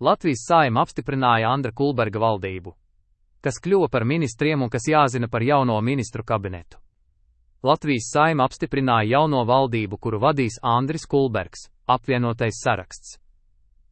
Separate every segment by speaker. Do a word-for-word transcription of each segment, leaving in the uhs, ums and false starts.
Speaker 1: Latvijas Saeima apstiprināja Andra Kulberga valdību, kas kļuva par ministriem un kas jāzina par jauno ministru kabinetu. Latvijas Saeima apstiprināja jauno valdību, kuru vadīs Andris Kulbergs, apvienotais saraksts.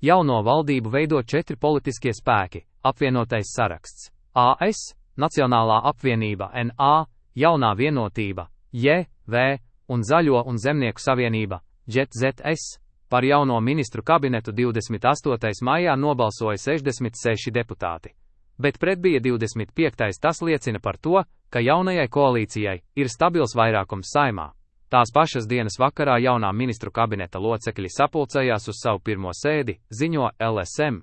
Speaker 1: Jauno valdību veido četri politiskie spēki: apvienotais saraksts, A S, Nacionālā apvienība N A, Jaunā vienotība, J V un Zaļo un zemnieku savienība, J Z S. Par jauno ministru kabinetu divdesmit astotajā maijā nobalsoja sešdesmit seši deputāti, bet pret bija divdesmit piektais Tas liecina par to, ka jaunajai koalīcijai ir stabils vairākums Saeimā. Tās pašas dienas vakarā jaunā ministru kabineta locekļi sapulcējās uz savu pirmo sēdi, ziņo L S M.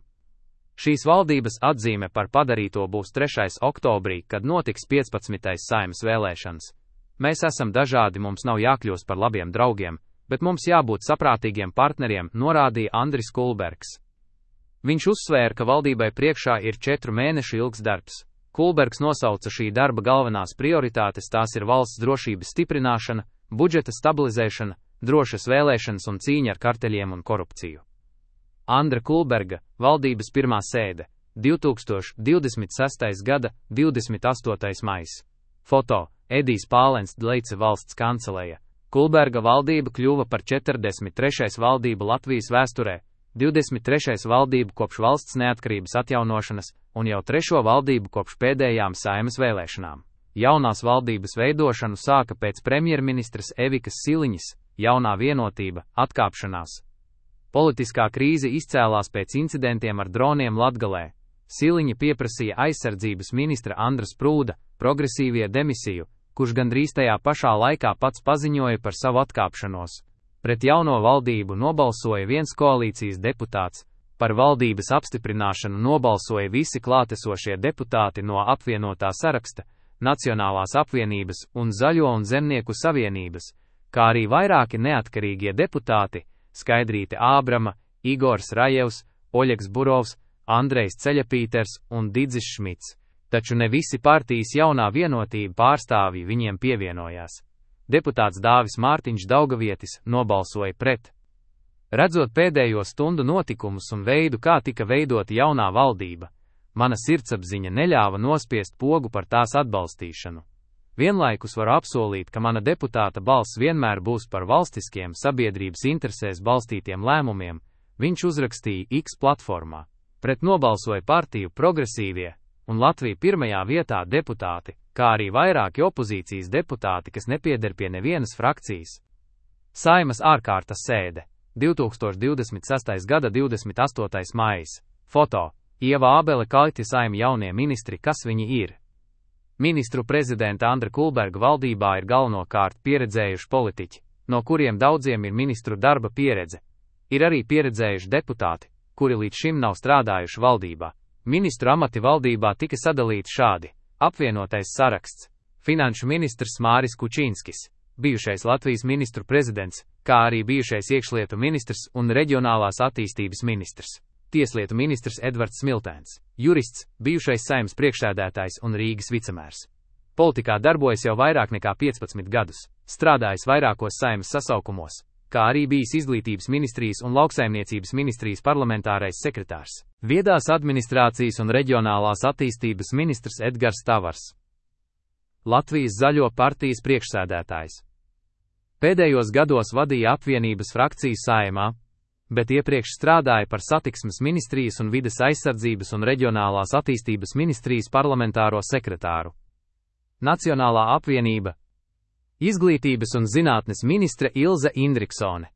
Speaker 1: Šīs valdības atzīme par padarīto būs trešais oktobrī, kad notiks piecpadsmitais Saeimas vēlēšanas. Mēs esam dažādi, mums nav jākļūst par labiem draugiem, bet mums jābūt saprātīgiem partneriem, norādīja Andris Kulbergs. Viņš uzsvēra, ka valdībai priekšā ir četru mēnešu ilgs darbs. Kulbergs nosauca šī darba galvenās prioritātes, tās ir valsts drošības stiprināšana, budžeta stabilizēšana, drošas vēlēšanas un cīņa ar karteļiem un korupciju. Andra Kulberga, valdības pirmā sēde, divi tūkstoši divdesmit sestais gada divdesmit astotais maijs. Foto: Edijs Pālens, Dleice valsts kanceleja. Kulberga valdība kļuva par četrdesmit trešais valdību Latvijas vēsturē, divdesmit trešais valdību kopš valsts neatkarības atjaunošanas un jau trešo valdību kopš pēdējām Saeimas vēlēšanām. Jaunās valdības veidošanu sāka pēc premjerministras Evikas Siliņas, Jaunā vienotība, atkāpšanās. Politiskā krīze izcēlās pēc incidentiem ar droniem Latgalē. Siliņa pieprasīja aizsardzības ministra Andra Sprūda, progresīvie demisiju, kurš gandrīz tajā pašā laikā pats paziņoja par savu atkāpšanos. Pret jauno valdību nobalsoja viens koalīcijas deputāts, par valdības apstiprināšanu nobalsoja visi klātesošie deputāti no apvienotā saraksta, Nacionālās apvienības un Zaļo un zemnieku savienības, kā arī vairāki neatkarīgie deputāti: Skaidrīte Ābrama, Igors Rajevs, Oļegs Burovs, Andrejs Ceļapīters un Didzis Šmits. Taču ne visi partijas Jaunā vienotība pārstāvji viņiem pievienojās. Deputāts Dāvis Mārtiņš Daugavietis nobalsoja pret. Redzot pēdējo stundu notikumus un veidu, kā tika veidota jaunā valdība, mana sirdsapziņa neļāva nospiest pogu par tās atbalstīšanu. Vienlaikus varu apsolīt, ka mana deputāta balss vienmēr būs par valstiskiem, sabiedrības interesēs balstītiem lēmumiem, viņš uzrakstīja X platformā. Pret nobalsoja partiju Progresīvie un Latvija pirmajā vietā deputāti, kā arī vairāki opozīcijas deputāti, kas nepieder pie nevienas frakcijas. Saeimas ārkārtas sēde, divi tūkstoši divdesmit sestais gada divdesmit astotais maijs. Foto: Ieva Ābele Kaļķa Saeima jaunie ministri. Kas viņi ir? Ministru prezidenta Andra Kulberga valdībā ir galvenokārt pieredzējuši politiķi, no kuriem daudziem ir ministru darba pieredze. Ir arī pieredzējuši deputāti, kuri līdz šim nav strādājuši valdībā. Ministru amati valdībā tika sadalīti šādi: apvienotais saraksts, finanšu ministrs Māris Kučīnskis, bijušais Latvijas ministru prezidents, kā arī bijušais iekšlietu ministrs un reģionālās attīstības ministrs, tieslietu ministrs Edvards Smiltēns, jurists, bijušais Saeimas priekšsēdētājs un Rīgas vicemērs. Politikā darbojas jau vairāk nekā piecpadsmit gadus, strādājis vairākos Saeimas sasaukumos, kā arī bijis izglītības ministrijas un lauksaimniecības ministrijas parlamentārais sekretārs, viedās administrācijas un reģionālās attīstības ministrs Edgars Tavars. Latvijas Zaļo partijas priekšsēdētājs. Pēdējos gados vadīja apvienības frakciju Saeimā, bet iepriekš strādāja par satiksmes ministrijas un vides aizsardzības un reģionālās attīstības ministrijas parlamentāro sekretāru. Nacionālā apvienība. Izglītības un zinātnes ministre Ilze Indriksone.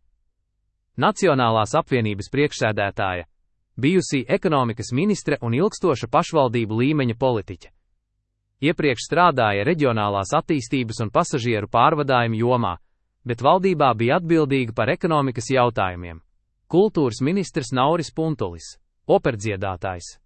Speaker 1: Nacionālās apvienības priekšsēdētāja, bijusī ekonomikas ministre un ilgstoša pašvaldību līmeņa politiķe. Iepriekš strādāja reģionālās attīstības un pasažieru pārvadājumu jomā, bet valdībā bija atbildīga par ekonomikas jautājumiem. Kultūras ministrs Nauris Puntulis, operdziedātājs.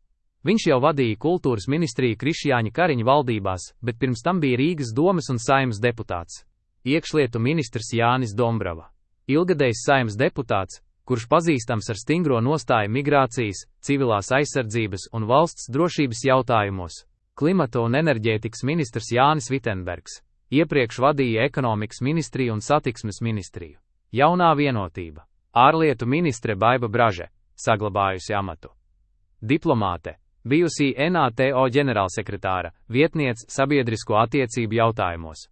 Speaker 1: Viņš jau vadīja kultūras ministriju Krišjāņa Kariņa valdībās, bet pirms tam bija Rīgas domes un Saeimas deputāts. Iekšlietu ministrs Jānis Dombrava. Ilgadējs Saeimas deputāts, kurš pazīstams ar stingro nostāju migrācijas, civilās aizsardzības un valsts drošības jautājumos. Klimata un enerģētikas ministrs Jānis Vitenbergs. Iepriekš vadīja ekonomikas ministriju un satiksmes ministriju. Jaunā vienotība. Ārlietu ministre Baiba Braže, saglabājusi amatu. diplomāte, bijusī NATO ģenerālsekretāra, vietniece sabiedrisko attiecību jautājumos.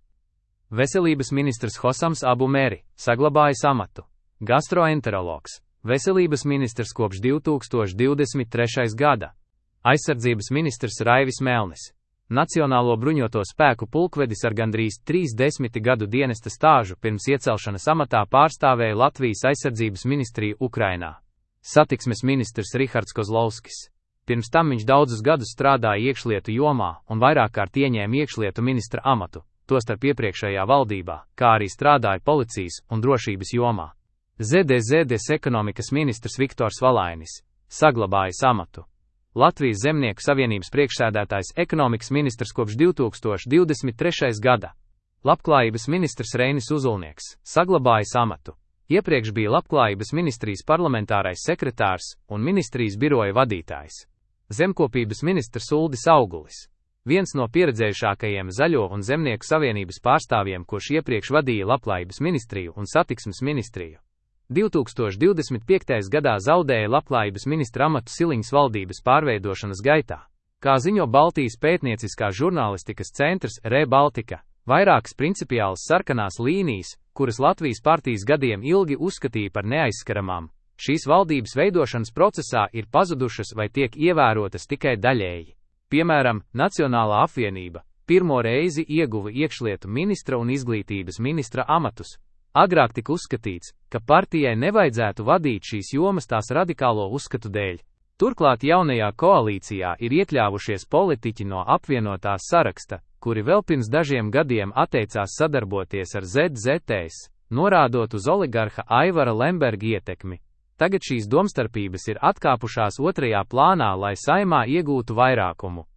Speaker 1: Veselības ministrs Hosams Abu Meri, saglabājis amatu. Gastroenterologs, veselības ministrs kopš divi tūkstoši divdesmit trešā gada. Aizsardzības ministrs Raivis Melnis. Nacionālo bruņoto spēku pulkvedis ar gandrīz trīs desmiti gadu dienesta stāžu pirms iecelšanas amatā pārstāvēja Latvijas aizsardzības ministriju Ukrainā. Satiksmes ministrs Rihards Kozlovskis. Pirms tam viņš daudzus gadus strādāja iekšlietu jomā un vairāk kārt ieņēma iekšlietu ministra amatu, tostarp iepriekšējā valdībā, kā arī strādāja policijas un drošības jomā. Z D Z D S ekonomikas ministrs Viktors Valainis, saglabājis amatu. Latvijas Zemnieku savienības priekšsēdētājs ekonomikas ministrs kopš divi tūkstoši divdesmit trešā gada. Labklājības ministrs Reinis Uzulnieks, saglabājis amatu. Iepriekš bija Labklājības ministrijas parlamentārais sekretārs un ministrijas biroja vadītājs. Zemkopības ministrs Uldis Augulis. Viens no pieredzējušākajiem Zaļo un Zemnieku savienības pārstāvjiem, kurš iepriekš vadīja Labklājības ministriju un Satiksmes ministriju. divi tūkstoši divdesmit piektajā gadā zaudēja Labklājības ministra amatu Siliņas valdības pārveidošanas gaitā. Kā ziņo Baltijas pētnieciskās žurnālistikas centrs Re Baltica, vairākas principiālas sarkanās līnijas, kuras Latvijas partijas gadiem ilgi uzskatīja par neaizskaramām, šīs valdības veidošanas procesā ir pazudušas vai tiek ievērotas tikai daļēji. Piemēram, Nacionālā apvienība pirmo reizi ieguva iekšlietu ministra un izglītības ministra amatus. Agrāk tika uzskatīts, ka partijai nevajadzētu vadīt šīs jomas tās radikālo uzskatu dēļ. Turklāt jaunajā koalīcijā ir iekļāvušies politiķi no apvienotās saraksta, kuri vēl pirms dažiem gadiem atteicās sadarboties ar Z Z T S, norādot uz oligarha Aivara Lemberga ietekmi. Tagad šīs domstarpības ir atkāpušās otrajā plānā, lai Saeimā iegūtu vairākumu.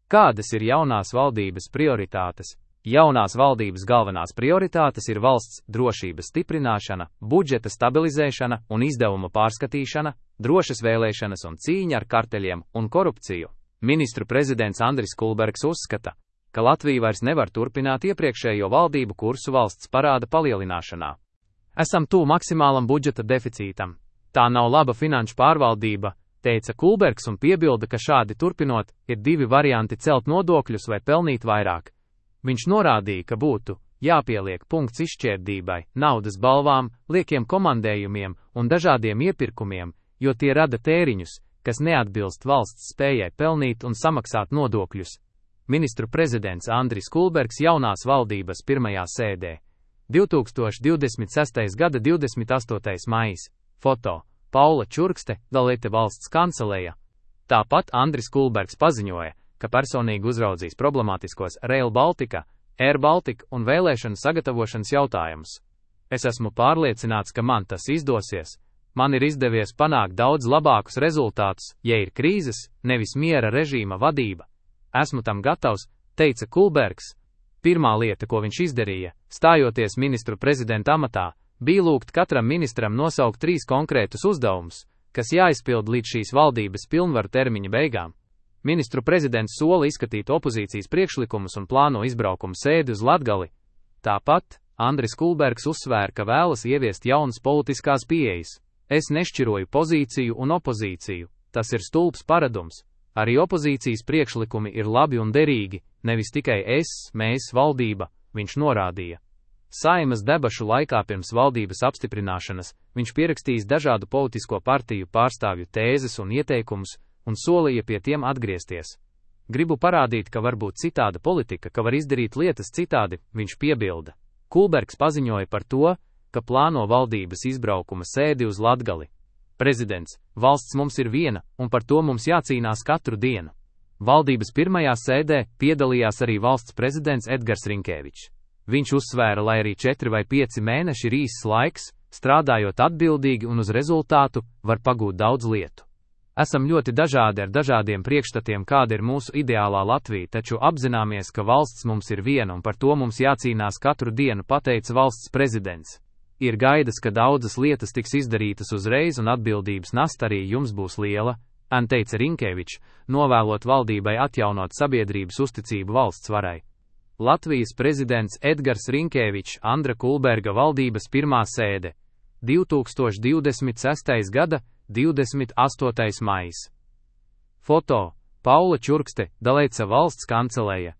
Speaker 1: Kādas ir jaunās valdības prioritātes? Jaunās valdības galvenās prioritātes ir valsts drošības stiprināšana, budžeta stabilizēšana un izdevuma pārskatīšana, drošas vēlēšanas un cīņa ar karteļiem un korupciju. Ministru prezidents Andris Kulbergs uzskata, ka Latvija vairs nevar turpināt iepriekšējo valdību kursu valsts parāda palielināšanā. Esam tuvu maksimālam budžeta deficītam. Tā nav laba finanšu pārvaldība, teica Kulbergs un piebilda, ka šādi turpinot, ir divi varianti celt nodokļus vai pelnīt vairāk. Viņš norādīja, ka būtu jāpieliek punkts izšķērdībai, naudas balvām, liekiem komandējumiem un dažādiem iepirkumiem, jo tie rada tēriņus, kas neatbilst valsts spējai pelnīt un samaksāt nodokļus. Ministru prezidents Andris Kulbergs jaunās valdības pirmajā sēdē. divi tūkstoši divdesmit sestā gada divdesmit astotais maijs. Foto. Paula Čurkste, Dalete valsts kanceleja. Tāpat Andris Kulbergs paziņoja, ka personīgi uzraudzīs problemātiskos Rail Baltica, Air Baltica un vēlēšanu sagatavošanas jautājumus. Es esmu pārliecināts, ka man tas izdosies. Man ir izdevies panākt daudz labākus rezultātus, ja ir krīzes, nevis miera režīma vadība. Esmu tam gatavs, teica Kulbergs. Pirmā lieta, ko viņš izdarīja, stājoties ministru prezidenta amatā, bija lūgt katram ministram nosaukt trīs konkrētus uzdevumus, kas jāizpild līdz šīs valdības pilnvaru termiņa beigām. Ministru prezidents sola izskatīt opozīcijas priekšlikumus un plāno izbraukumu sēdi uz Latgali. Tāpat Andris Kulbergs uzsvēra, ka vēlas ieviest jaunas politiskās pieejas. Es nešķiroju pozīciju un opozīciju, tas ir stulbs paradums. Arī opozīcijas priekšlikumi ir labi un derīgi, nevis tikai es, mēs, valdība, viņš norādīja. Saeimas debašu laikā pirms valdības apstiprināšanas viņš pierakstījis dažādu politisko partiju pārstāvju tēzes un ieteikumus un solīja pie tiem atgriezties. Gribu parādīt, ka var būt citāda politika, ka var izdarīt lietas citādi, viņš piebilda. Kulbergs paziņoja par to, ka plāno valdības izbraukuma sēdi uz Latgali. Prezidents, valsts mums ir viena, un par to mums jācīnās katru dienu. Valdības pirmajā sēdē piedalījās arī valsts prezidents Edgars Rinkēvičs. Viņš uzsvēra, lai arī četri vai pieci mēneši ir īss laiks, strādājot atbildīgi un uz rezultātu, var pagūt daudz lietu. Esam ļoti dažādi ar dažādiem priekšstatiem, kāda ir mūsu ideālā Latvija, taču apzināmies, ka valsts mums ir viena un par to mums jācīnās katru dienu, pateica valsts prezidents. Ir gaidas, ka daudzas lietas tiks izdarītas uzreiz un atbildības nasta arī jums būs liela, an teica Rinkēvičs, novēlot valdībai atjaunot sabiedrības uzticību valsts varai. Latvijas prezidents Edgars Rinkēvičs, Andra Kulberga valdības pirmā sēde. divi tūkstoši divdesmit sestā gada divdesmit astotais maijs. Foto: Paula Čurkste, Dalēca valsts kancelēja.